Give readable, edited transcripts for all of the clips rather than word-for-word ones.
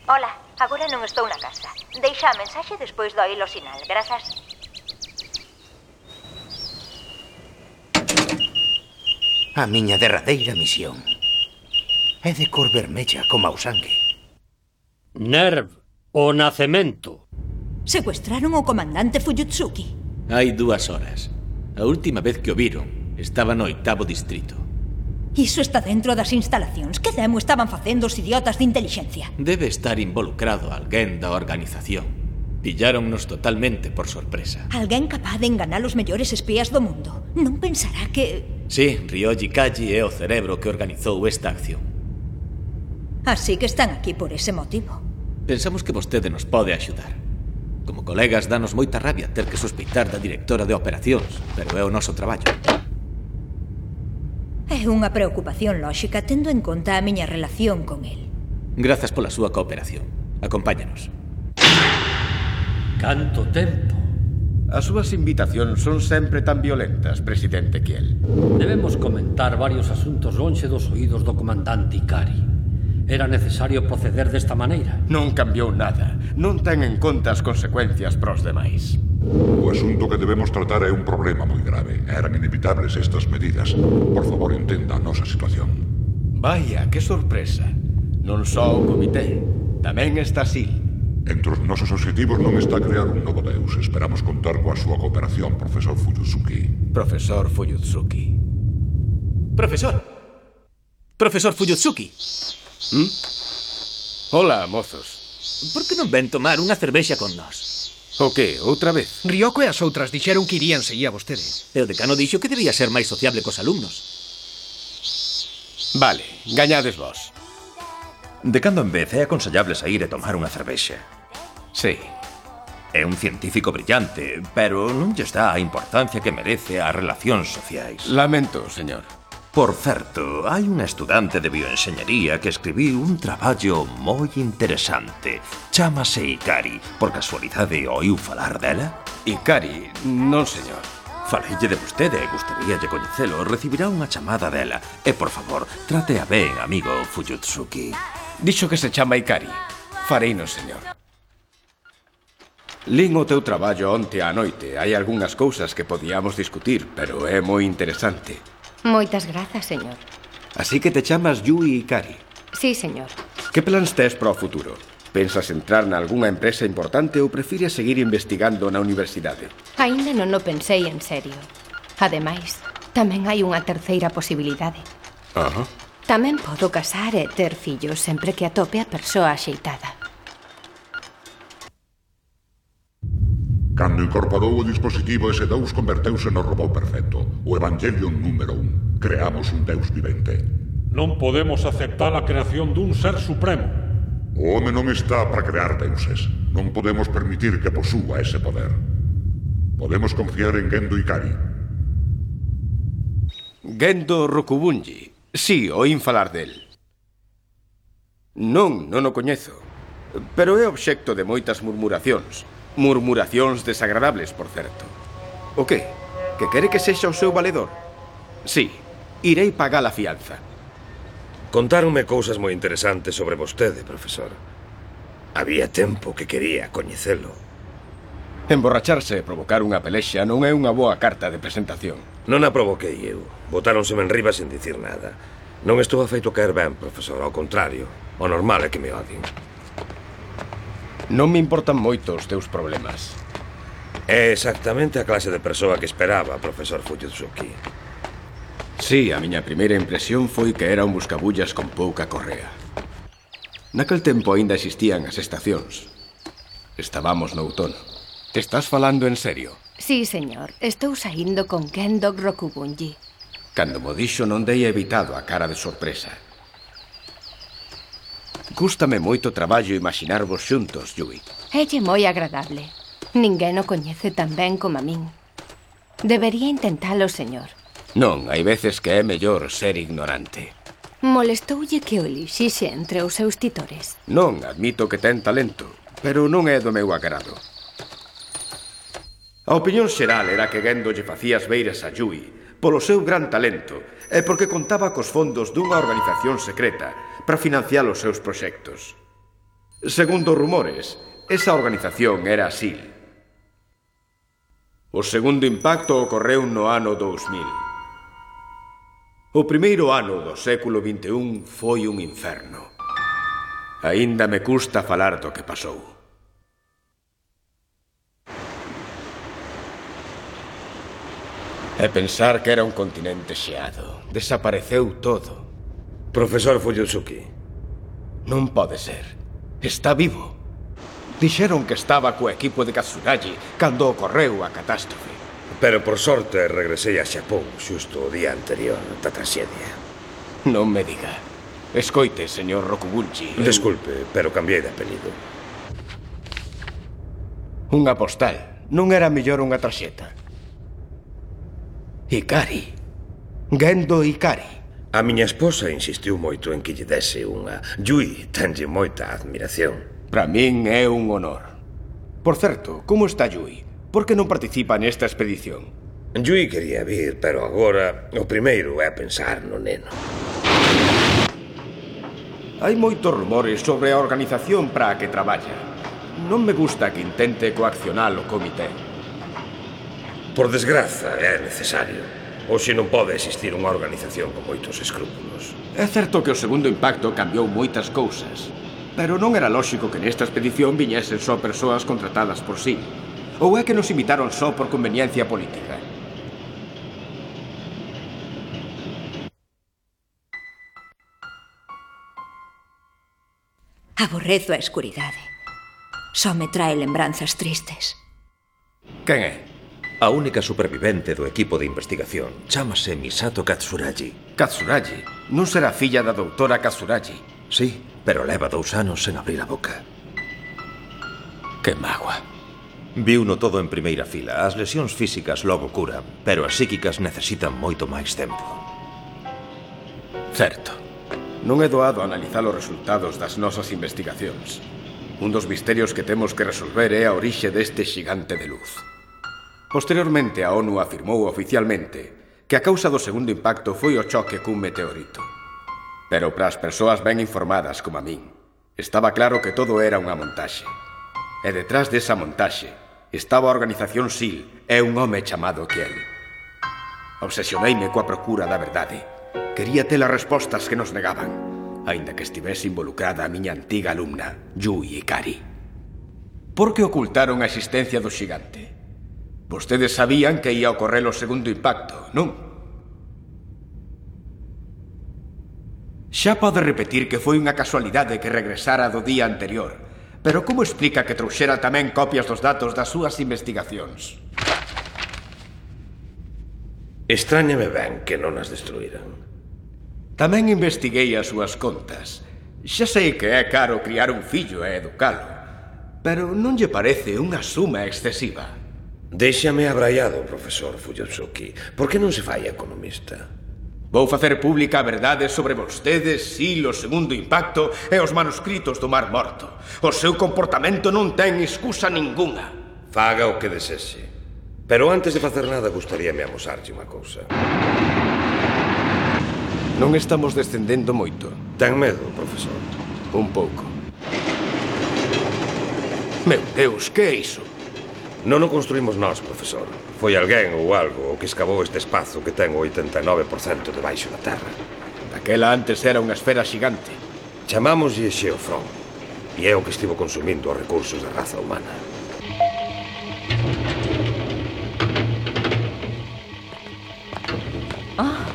Ola, agora non estou na casa. Deixa a mensaxe despois do oír o sinal, grazas. A miña derradeira misión é de cor vermella como o sangue. Nerv, o nacemento. Secuestraron o comandante Fuyutsuki. Hai 2 horas. A última vez que o viron estaba no 8º distrito. Iso está dentro das instalacións. Que demo estaban facendo os idiotas de inteligencia? Debe estar involucrado alguén da organización. Pilláronnos totalmente por sorpresa. Alguén capaz de enganar os mellores espías do mundo. Non pensará que... Sí, Ryoji Kaji é o cerebro que organizou esta acción. Así que están aquí por ese motivo. Pensamos que vostede nos pode axudar. Como colegas, danos moita rabia ter que sospeitar da directora de operacións, pero é o noso traballo. É unha preocupación lóxica tendo en conta a miña relación con el. Grazas pola súa cooperación. Acompáñanos. Canto tempo. As súas invitacións son sempre tan violentas, presidente Kiel. Debemos comentar varios asuntos lonxe dos oídos do comandante Ikari. Era necesario proceder desta maneira. Non cambiou nada. Non ten en conta as consecuencias pros demais. O asunto que debemos tratar é un problema moi grave. Eran inevitables estas medidas. Por favor, entenda a nosa situación. Vaya, que sorpresa. Non só o comité, tamén está Sil. Entre os nosos obxectivos non está crear un novo deus. Esperamos contar coa súa cooperación, profesor Fuyutsuki. Profesor Fuyutsuki. Profesor! Profesor Fuyutsuki! Hola, mozos. Por que non ven tomar unha cervexa con nós? O que, outra vez? Ryoko e as outras dixeron que irían seguir a vostede. E o decano dixo que debía ser máis sociable cos alumnos. Vale, gañades vos. De cando en vez é aconsellable sair e tomar unha cervexa. Sí. É un científico brillante, pero non lle dá a importancia que merece ás relacións sociais. Lamento, señor. Por certo, hai unha estudante de bioenxeñería que escribiu un traballo moi interesante. Chámase Ikari. Por casualidade oiu falar dela? Ikari, non, señor. Faleille de vostede e gustaríalle coñecelo. Recibirá unha chamada dela. E, por favor, trate a ben, amigo Fuyutsuki. Dixo que se chama Ikari. Fareino, señor. Lin o teu traballo onte á noite. Hai algunhas cousas que podíamos discutir, pero é moi interesante. Moitas grazas, señor. Así que te chamas Yui Ikari. Sí, señor. Que plans tes para o futuro? Pensas entrar na algunha empresa importante ou prefires seguir investigando na universidade? Aínda non o pensei en serio. Ademais, tamén hai unha terceira posibilidade. Tamén podo casar e ter fillos sempre que atope a persoa axeitada. Cando incorporou o dispositivo, ese deus converteuse no robot perfecto. O Evangelion número 1. Creamos un deus vivente. Non podemos aceptar a creación dun ser supremo. O home non está para crear deuses. Non podemos permitir que posúa ese poder. Podemos confiar en Gendo Ikari. Gendo Rokubunji. Sí, oín falar del. Non o coñezo. Pero é obxecto de moitas murmuracións. Murmuracións desagradables, por certo. O que? Que quere que sexa o seu valedor? Sí, irei pagar a fianza. Contáronme cousas moi interesantes sobre vostede, profesor. Había tempo que quería coñecelo. Emborracharse e provocar unha pelexa non é unha boa carta de presentación. Non a provoquei eu. Botáronseme en riba sen dicir nada. Non estou afeito caer ben, profesor. Ao contrario, o normal é que me odien. Non me importan moito os teus problemas. É exactamente a clase de persoa que esperaba, profesor Fuyutsuki. Sí, a miña primeira impresión foi que era un buscabullas con pouca correa. Naquel tempo aínda existían as estacións. Estábamos no outono. Te estás falando en serio? Sí, señor. Estou saindo con Gendo Rokubunji. Cando mo dixo non dei evitado a cara de sorpresa. Gústame moito traballo imaginarvos xuntos, Yui. Élle moi agradable. Ninguén o coñece tan ben como a min. Debería intentalo, señor. Non, hai veces que é mellor ser ignorante. Molestoulle que o elixixe entre os seus titores. Non, admito que ten talento, pero non é do meu agrado. A opinión xeral era que Gendo lle facía as beiras a Yui polo seu gran talento e porque contaba cos fondos dunha organización secreta para financiar os seus proxectos. Segundo rumores, esa organización era SEAL. O segundo impacto ocorreu no ano 2000. O primeiro ano do século XXI foi un inferno. Aínda me custa falar do que pasou. E pensar que era un continente xeado. Desapareceu todo. Profesor Fuyutsuki. Non pode ser. Está vivo. Dixeron que estaba co equipo de Katsuragi cando ocorreu a catástrofe. Pero por sorte regresei a Xapón xusto o día anterior da traxedia. Non me diga. Escoite, señor Rokugunji. Desculpe, pero cambiei de apelido. Unha postal. Non era mellor unha tarxeta. Ikari. Gendo Ikari. A miña esposa insistiu moito en que lle dese unha. Yui tenlle moita admiración. Para min é un honor. Por certo, como está Yui? Por que non participa nesta expedición? Yui quería vir, pero agora o primeiro é pensar no neno. Hai moitos rumores sobre a organización para a que traballa. Non me gusta que intente coaccionar o comité. Por desgraza, é necesario. Hoxe non pode existir unha organización con moitos escrúpulos. É certo que o segundo impacto cambiou moitas cousas, pero non era lóxico que nesta expedición viñesen só persoas contratadas por SEAL. Ou é que nos imitaron só por conveniencia política? Aborrezo a escuridade. Só me trae lembranzas tristes. Quen é? A única supervivente do equipo de investigación chámase Misato Katsuragi. Katsuragi? Non será filla da doutora Katsuragi? Sí, pero leva 2 anos sen abrir a boca. Que mágoa. Viuno todo en primeira fila. As lesións físicas logo curan, pero as psíquicas necesitan moito máis tempo. Certo. Non é doado analizar os resultados das nosas investigacións. Un dos misterios que temos que resolver é a orixe deste xigante de luz. Posteriormente, a ONU afirmou oficialmente que a causa do segundo impacto foi o choque cun meteorito. Pero para as persoas ben informadas como a min, estaba claro que todo era unha montaxe. E detrás desa montaxe estaba a organización SEAL e un home chamado Kiel. Obsesioneime coa procura da verdade. Quería ter as respostas que nos negaban, aínda que estivese involucrada a miña antiga alumna, Yui Ikari. Por que ocultaron a existencia do xigante? Vostedes sabían que ia ocorrer o segundo impacto, non? Xa pode repetir que foi unha casualidade que regresara do día anterior, pero como explica que trouxera tamén copias dos datos das súas investigacións? Estráñame ben que non as destruíran. Tamén investiguei as súas contas. Xa sei que é caro criar un fillo e educalo, pero non lle parece unha suma excesiva? Déixame abraiado, profesor Fuyutsuki. Por que non se fai economista? Vou facer pública a verdade sobre vostedes, SEAL, o segundo impacto e os manuscritos do Mar Morto. O seu comportamento non ten excusa ningunha. Faga o que desexe. Pero antes de facer nada, gustaríame amosarlle unha cousa. Non estamos descendendo moito. Ten medo, profesor? Un pouco. Meu Deus, que é iso? Non o construímos nós, profesor. Foi alguén ou algo o que escavou este espazo que ten o 89% debaixo da terra. Daquela antes era unha esfera xigante. Chamámoslle Xeofrón. E é o que estivo consumindo os recursos da raza humana.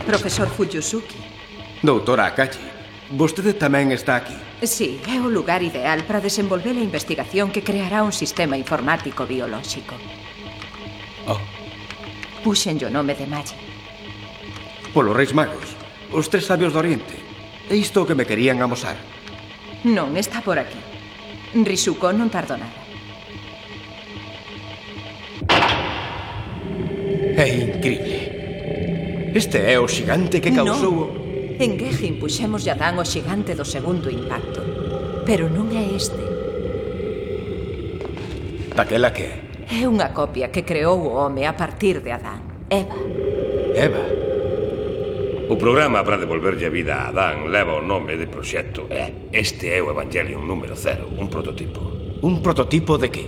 Profesor Fuyutsuki. Doutora Akachi, vostede tamén está aquí. Sí, é o lugar ideal para desenvolver a investigación que creará un sistema informático biolóxico. Puxenlle o nome de Magi. Polo Reis Magos, os 3 sabios do Oriente. É isto o que me querían amosar. Non, está por aquí. Risuko non tardou nada. É increíble. Este é o xigante que causou... Non. En Gejin puxemos Adán o xigante do segundo impacto. Pero non é este. Daquela que é? É unha copia que creou o home a partir de Adán. Eva. Eva? O programa para devolverlle a vida a Adán leva o nome de proxecto e este é o Evangelion número 0, un prototipo. Un prototipo de que?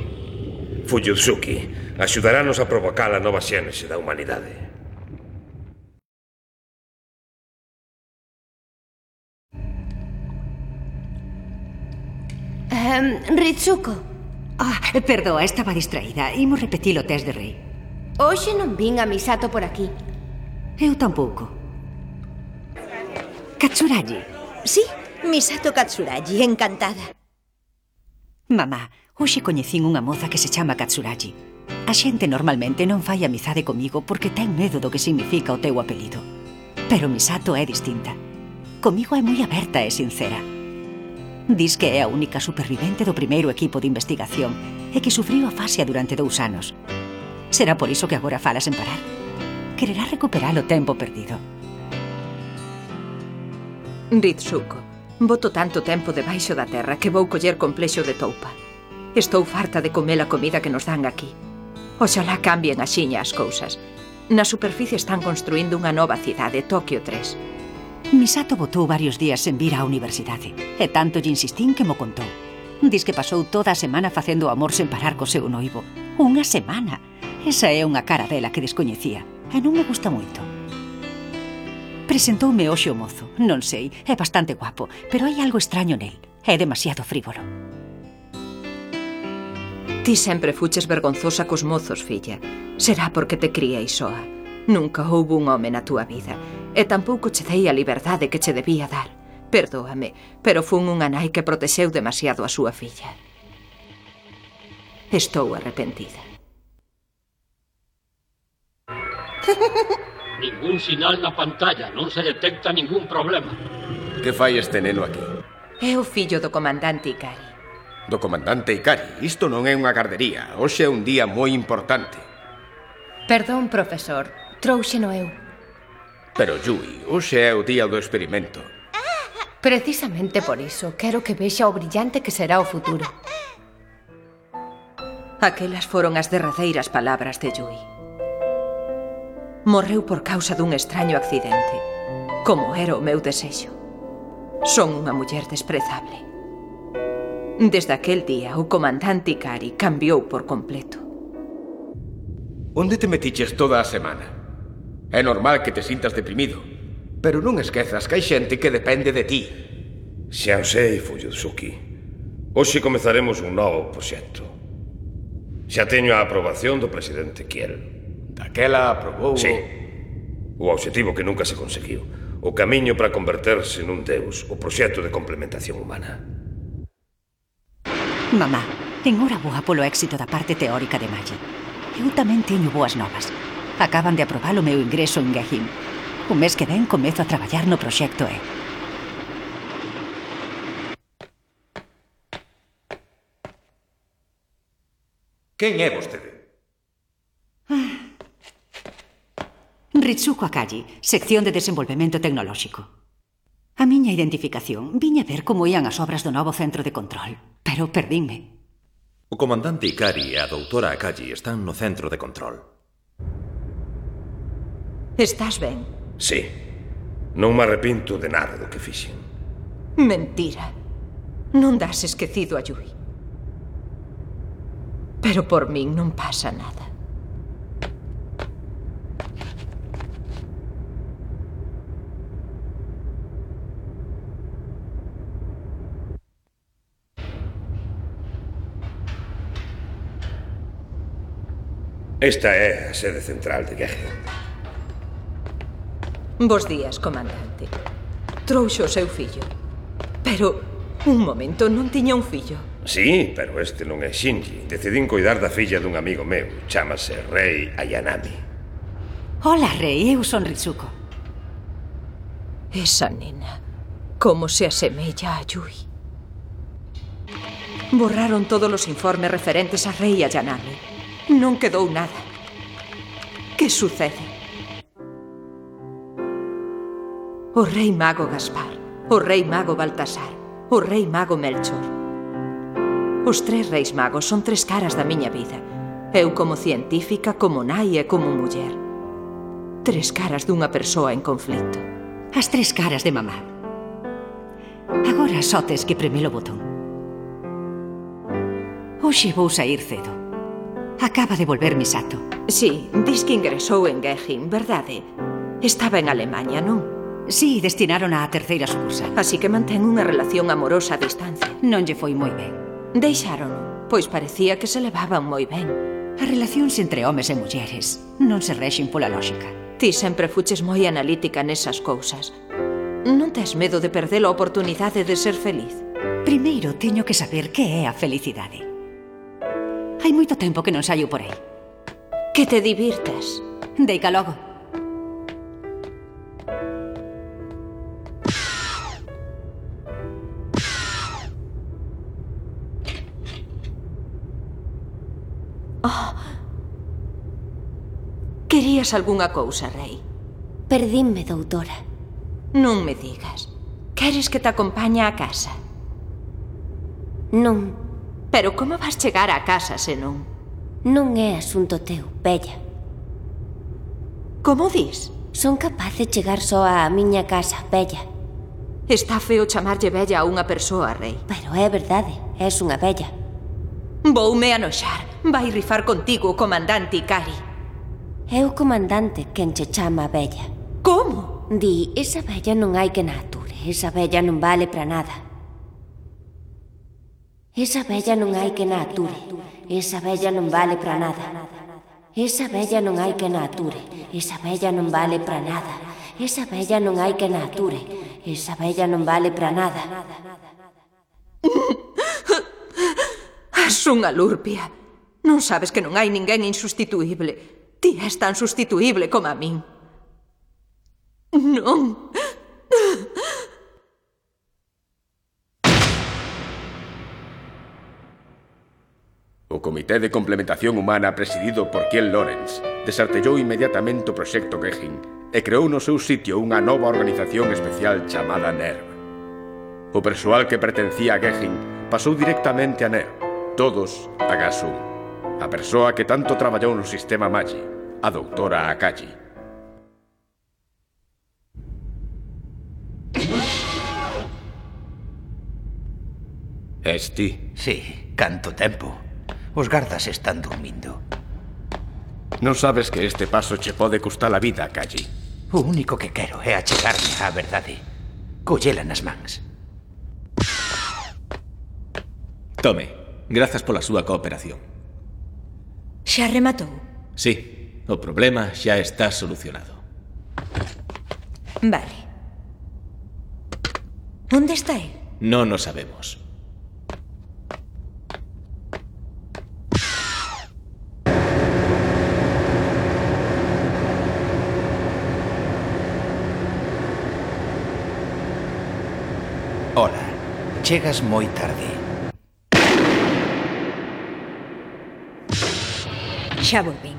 Fuyutsuki axudarános a provocar a nova xénese da humanidade. Ritsuko. Perdoa, estaba distraída. Imos repetir o test de Rei. Hoxe non vin a Misato por aquí. Eu tampouco. Katsuragi. Sí, Misato Katsuragi, encantada. Mamá, hoxe coñecín unha moza que se chama Katsuragi. A xente normalmente non fai amizade comigo porque ten medo do que significa o teu apelido. Pero Misato é distinta. Comigo é moi aberta e sincera. Dis que é a única supervivente do primeiro equipo de investigación e que sufriu afasia durante 2 anos. Será por iso que agora fala sen parar. Quererá recuperar o tempo perdido. Ritsuko, boto tanto tempo debaixo da terra que vou coller complexo de toupa. Estou farta de comer a comida que nos dan aquí. Oxalá cambien axiña as cousas. Na superficie están construindo unha nova cidade, Tokio 3. Misato botou varios días sen vir á universidade. E tanto lle insistín que mo contou. Diz que pasou toda a semana facendo amor sen parar co seu noivo. Unha semana. Esa é unha cara dela que descoñecía. E non me gusta moito. Presentoume hoxe o mozo. Non sei, é bastante guapo, pero hai algo extraño nel. É demasiado frívolo. Ti sempre fuches vergonzosa cos mozos, filla. Será porque te criei soa. Nunca houbo un home na túa vida. E tampouco che dei a liberdade que che debía dar. Perdóame, pero fun unha nai que protexeu demasiado a súa filla. Estou arrepentida. Ningún sinal na pantalla, non se detecta ningún problema. Que fai este neno aquí? É o fillo do comandante Ikari. Do comandante Ikari? Isto non é unha gardería. Hoxe é un día moi importante. Perdón, profesor. Trouxeno eu. Pero, Yui, hoxe é o día do experimento. Precisamente por iso, quero que vexa o brillante que será o futuro. Aquelas foron as derradeiras palabras de Yui. Morreu por causa dun extraño accidente, como era o meu desexo. Son unha muller desprezable. Desde aquel día, o comandante Ikari cambiou por completo. Onde te metiches toda a semana? É normal que te sintas deprimido, pero non esquezas que hai xente que depende de ti. Xa o sei, Fuyutsuki. Hoxe comezaremos un novo proxecto. Xa teño a aprobación do presidente Kiel. Daquela aprobou... Sí. O obxectivo que nunca se conseguiu. O camiño para converterse nun deus. O proxecto de complementación humana. Mamá, enhoraboa polo éxito da parte teórica de Magi. Eu tamén teño boas novas. Acaban de aprobar o meu ingreso en Gehim. O mes que ven comezo a traballar no proxecto E. Quen é vostede? Ritsuko Akagi, sección de desenvolvemento tecnolóxico. A miña identificación, viña ver como ían as obras do novo centro de control, pero perdínme. O comandante Ikari e a doutora Akagi están no centro de control. Estás ben? Sí. Non me arrepinto de nada do que fixen. Mentira. Non das esquecido a Yui. Pero por min non pasa nada. Esta é a sede central de Gehim. Bos días, comandante. Trouxo o seu fillo. Pero, un momento, non tiña un fillo. Sí, pero este non é Shinji. Decidín cuidar da filla dun amigo meu. Chámase Rei Ayanami. Hola, Rei. Eu son Ritsuko. Esa nena, como se asemella a Yui. Borraron todos os informes referentes a Rei Ayanami. Non quedou nada. Que sucede? O rei mago Gaspar, o rei mago Baltasar, o rei mago Melchor. Os 3 reis magos son 3 caras da miña vida. Eu como científica, como nai e como muller. 3 caras dunha persoa en conflito. As 3 caras de mamá. Agora só tes que premer o botón. Hoxe vou sair cedo. Acaba de volver Misato. Sí, dis que ingresou en Gehin, verdade? Estaba en Alemanha, non? Sí, destinaron á terceira sucursal. Así que mantén unha relación amorosa a distancia. Non lle foi moi ben. Deixaron, pois parecía que se levaban moi ben. As relacións entre homes e mulleres non se rexen pola lógica. Ti sempre fuches moi analítica nesas cousas. Non tes medo de perder a oportunidade de ser feliz? Primeiro teño que saber que é a felicidade. Hai moito tempo que non saio por aí. Que te divirtas. Deica logo. Querías algunha cousa, Rei? Perdínme, doutora. Non me digas. Queres que te acompañe á casa? Non. Pero como vas chegar á casa se non? Non é asunto teu, bella. Como dis? Son capaz de chegar só á miña casa, bella. Está feo chamarlle bella a unha persoa, Rei. Pero é verdade, és unha bella. Voume anoxar. Vai rifar contigo o comandante Ikari. É o comandante quen che chama bella. Como? Di, esa bella non hai que na ature. Esa bella non vale para nada. Esa bella non hai que na ature. Esa bella non vale para nada. Esa bella non hai que na ature. Esa bella non vale para nada. Esa bella non hai que na ature. Esa bella non vale para nada. As unha lurpia. Non sabes que non hai ninguén insustituíble. Ti és tan sustituíble como a min. Non. O Comité de Complementación Humana presidido por Kiel Lorenz desartellou inmediatamente o proxecto Gehin e creou no seu sitio unha nova organización especial chamada NERV. O persoal que pertencía a Gehin pasou directamente a NERV, todos a Gas 1. A persoa que tanto traballou no sistema Magi, a doutora Akagi. Es ti? Sí, canto tempo. Os gardas están dormindo. Non sabes que este paso che pode custar a vida, Akagi. O único que quero é achegarme á verdade. Collela nas mans. Tome, grazas pola súa cooperación. Xa rematou? Sí, o problema xa está solucionado. Vale. Onde está el? Non o sabemos. Ola, chegas moi tarde. Xa volvín.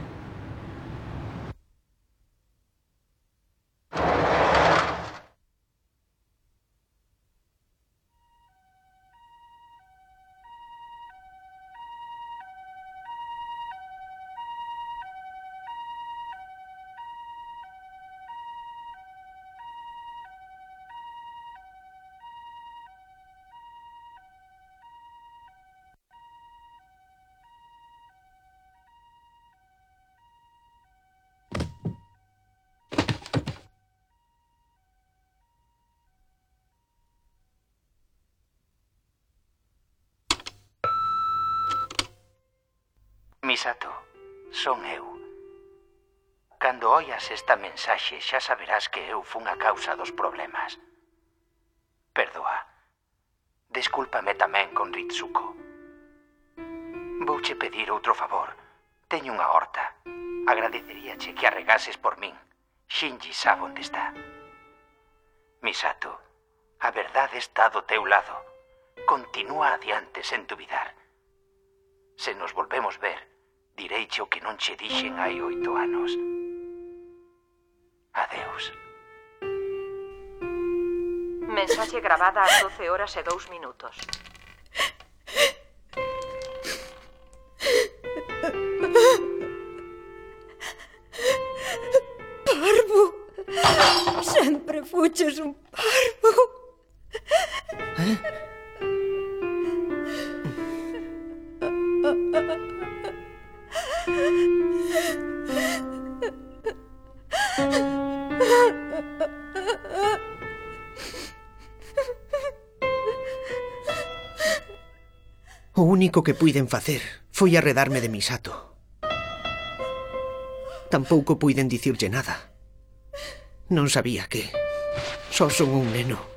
Misato, son eu. Cando oias esta mensaxe xa saberás que eu fun a causa dos problemas. Perdoa. Descúlpame tamén con Ritsuko. Vouche pedir outro favor. Teño unha horta. Agradeceríache que arregases por min. Shinji sabe onde está. Misato, a verdade está do teu lado. Continúa adiante sen dubidar. Se nos volvemos ver, direiche o que non che dixen hai 8 anos. Adeus. Mensaxe gravada ás 12 horas e 2 minutos. Parvo! Sempre fuches un parvo. O único que puiden facer foi arredarme de Misato. Tampouco puiden dicirlle nada. Non sabía que... Só son un neno.